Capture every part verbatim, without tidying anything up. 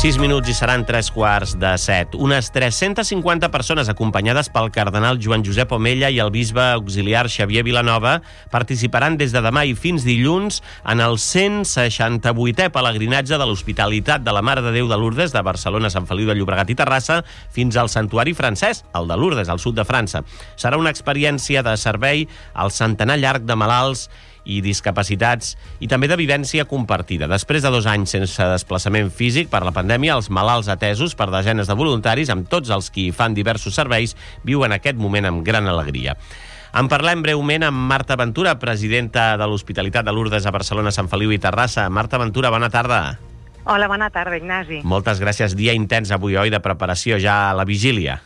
sis minuts i seran tres quarts de set. Unes tres-centes cinquanta persones acompanyades pel cardenal Joan Josep Omella i el bisbe auxiliar Xavier Vilanova participaran des de demà i fins dilluns en el cent seixanta-vuitè pelegrinatge de l'Hospitalitat de la Mare de Déu de Lourdes de Barcelona, Sant Feliu de Llobregat i Terrassa fins al Santuari francès, el de Lourdes, al sud de França. Serà una experiència de servei al centenar llarg de malalts i discapacitats i també de vivència compartida. Després de dos anys sense desplaçament físic per la pandèmia, els malalts atesos per desenes de voluntaris, amb tots els qui fan diversos serveis, viuen aquest moment amb gran alegria. En parlem breument amb Marta Ventura, presidenta de l'Hospitalitat de Lourdes a Barcelona, Sant Feliu i Terrassa. Marta Ventura, bona tarda. Hola, bona tarda, Ignasi. Moltes gràcies. Dia intens avui, oi, de preparació ja a la vigília.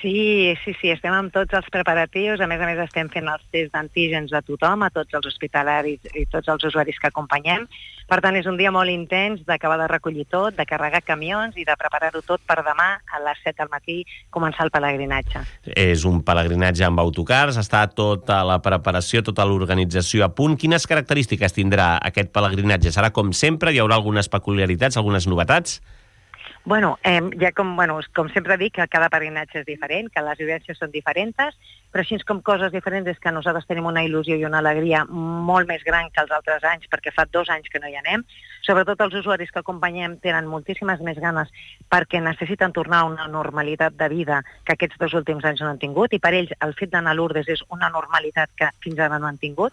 Sí, sí, sí, estem amb tots els preparatius. A més a més, estem fent els tests d'antígens a tothom, a tots els hospitalaris i tots els usuaris que acompanyem. Per tant, és un dia molt intens d'acabar de recollir tot, de carregar camions i de preparar-ho tot per demà a les set del matí començar el pelegrinatge. És un pelegrinatge amb autocars, està tota la preparació, tota l'organització a punt. Quines característiques tindrà aquest pelegrinatge? Serà com sempre? Hi haurà algunes peculiaritats, algunes novetats? Bueno, eh, ja com, bueno, com sempre dic que cada peregrinatge és diferent, que les vivències són diferents, però així com coses diferents és que nosaltres tenim una il·lusió i una alegria molt més gran que els altres anys, perquè fa dos anys que no hi anem. Sobretot els usuaris que acompanyem tenen moltíssimes més ganes perquè necessiten tornar a una normalitat de vida que aquests dos últims anys no han tingut, i per ells el fet d'anar a Lourdes és una normalitat que fins ara no han tingut.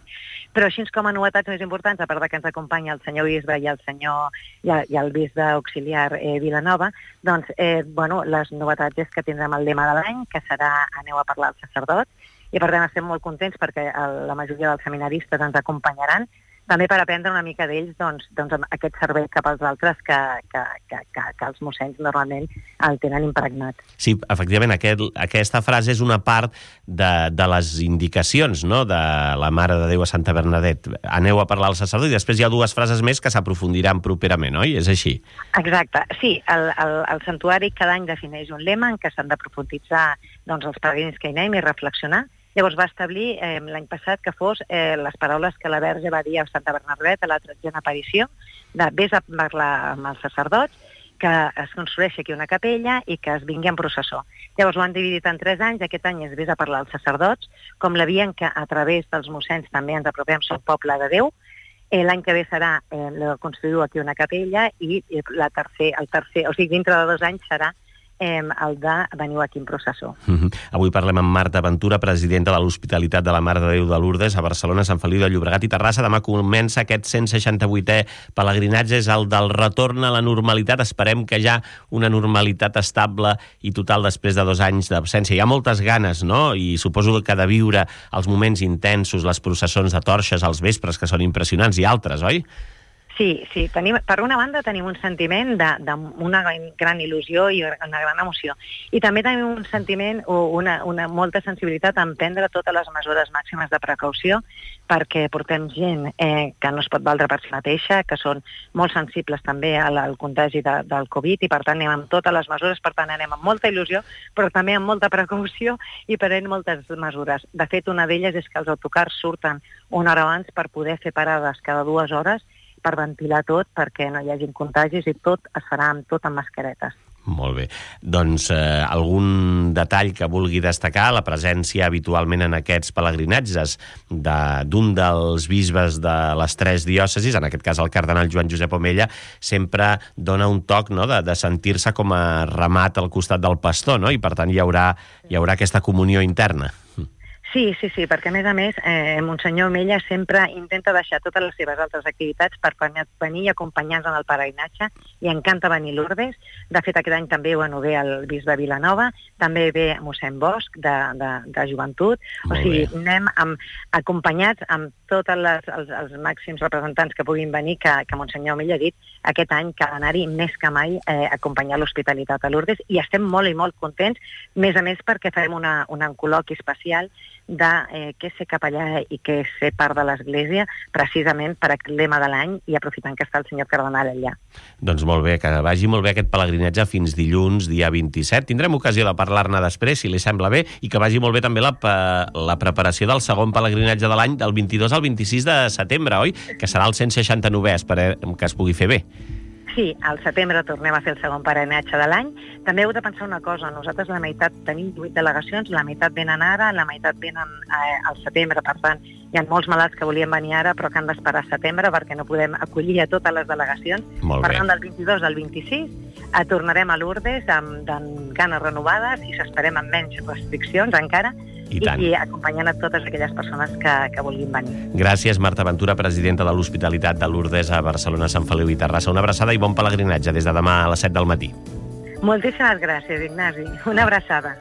Però així com a novetats més importants, a part que ens acompanya el senyor bisbe i el senyor i el, i el bisbe auxiliar eh, Vilanova, doncs, eh, bueno, les novetats és que tindrem el lema de l'any, que serà Aneu a parlar als sacerdots, i per tant estem molt contents perquè el, la majoria dels seminaristes ens acompanyaran, també per aprendre una mica d'ells doncs, doncs, aquest servei cap als altres que, que, que, que, que els mossens normalment el tenen impregnat. Sí, efectivament, aquest, aquesta frase és una part de, de les indicacions, no?, de la Mare de Déu a Santa Bernadette. Aneu a parlar al sacerdot, i després hi ha dues frases més que s'aprofundiran properament, oi? És així? Exacte, sí. El, el, el santuari cada any defineix un lema en què s'han de profunditzar doncs, els peregrins que hi anem i reflexionar. Llavors va establir eh, l'any passat que fos eh, les paraules que la Verge va dir a Santa Bernadette a la tretzena aparició, de vés a parlar amb els sacerdots, que es construeixi aquí una capella i que es vingui en processó. Llavors ho han dividit en tres anys, aquest any és vés a parlar als sacerdots, com la via en què a través dels mossens també ens apropem al poble de Déu. Eh, l'any que ve serà eh, construir aquí una capella i eh, la tercer, el tercer, o sigui, dintre de dos anys serà Eh, el de veniu aquí en processó. Mm-hmm. Avui parlem amb Marta Ventura, presidenta de l'Hospitalitat de la Mare de Déu de Lourdes a Barcelona, Sant Feliu de Llobregat i Terrassa. Demà comença aquest cent seixanta-vuitè pelegrinatge, és el del retorn a la normalitat. Esperem que ja una normalitat estable i total després de dos anys d'absència. Hi ha moltes ganes, no? I suposo que de viure els moments intensos, les processons de torxes als vespres, que són impressionants, i altres, oi? Sí, sí. Tenim, per una banda tenim un sentiment d'una gran il·lusió i una gran emoció. I també tenim un sentiment o una, una molta sensibilitat en prendre totes les mesures màximes de precaució, perquè portem gent eh, que no es pot valdre per si mateixa, que són molt sensibles també al, al contagi de, del Covid, i per tant anem amb totes les mesures, per tant anem amb molta il·lusió, però també amb molta precaució i prenent moltes mesures. De fet, una d'elles és que els autocars surten una hora abans per poder fer parades cada dues hores per ventilar tot, perquè no hi hagin contagis, i tot es farà amb tot amb mascaretes. Molt bé. Doncs eh, algun detall que vulgui destacar, la presència habitualment en aquests pelegrinatges d'un de, dels bisbes de les tres diòcesis, en aquest cas el cardenal Joan Josep Omella, sempre dona un toc, no?, de, de sentir-se com a ramat al costat del pastor, no?, i per tant hi haurà, hi haurà aquesta comunió interna. Sí, sí, sí, perquè a més a més eh, Monsenyor Omella sempre intenta deixar totes les seves altres activitats per venir i acompanyar-nos en el peregrinatge, i encanta venir a Lourdes. De fet, aquest any també bueno, ve el bisbe Vilanova, també ve mossèn Bosch de, de, de joventut. Molt o sigui, bé. anem amb, acompanyats amb tots els, els, els màxims representants que puguin venir, que, que Monsenyor Omella ha dit aquest any que ha d'anar-hi més que mai eh, acompanyar l'Hospitalitat a Lourdes, i estem molt i molt contents, més a més perquè farem una, una col·loqui especial de eh, què ser capellà i què ser part de l'Església, precisament per aquest lema de l'any, i aprofitant que està el senyor cardenal allà. Doncs molt bé, que vagi molt bé aquest pelegrinatge fins dilluns, dia vint-i-set. Tindrem ocasió de parlar-ne després, si li sembla bé, i que vagi molt bé també la, la preparació del segon pelegrinatge de l'any, del vint-i-dos al vint-i-sis de setembre, oi? Que serà el cent seixanta-novè, esperem que es pugui fer bé. sí, al setembre tornem a fer el segon peregrinatge de l'any. També heu de pensar una cosa, nosaltres la meitat tenim vuit delegacions, la meitat venen ara, la meitat venen eh, al setembre, per tant, hi ha molts malalts que volien venir ara però que han d'esperar a setembre perquè no podem acollir a totes les delegacions. Molt per bé. tant, del vint-i-dos al vint-i-sis eh, tornarem a Lourdes amb, amb ganes renovades i s'esperem amb menys restriccions encara, I i, tant. i acompanyant a totes aquelles persones que, que vulguin venir. Gràcies, Marta Ventura, presidenta de l'Hospitalitat de Lourdes a Barcelona, Sant Feliu i Terrassa. Una abraçada i bon pelegrinatge des de demà a les set del matí. Moltíssimes gràcies, Ignasi. Una abraçada.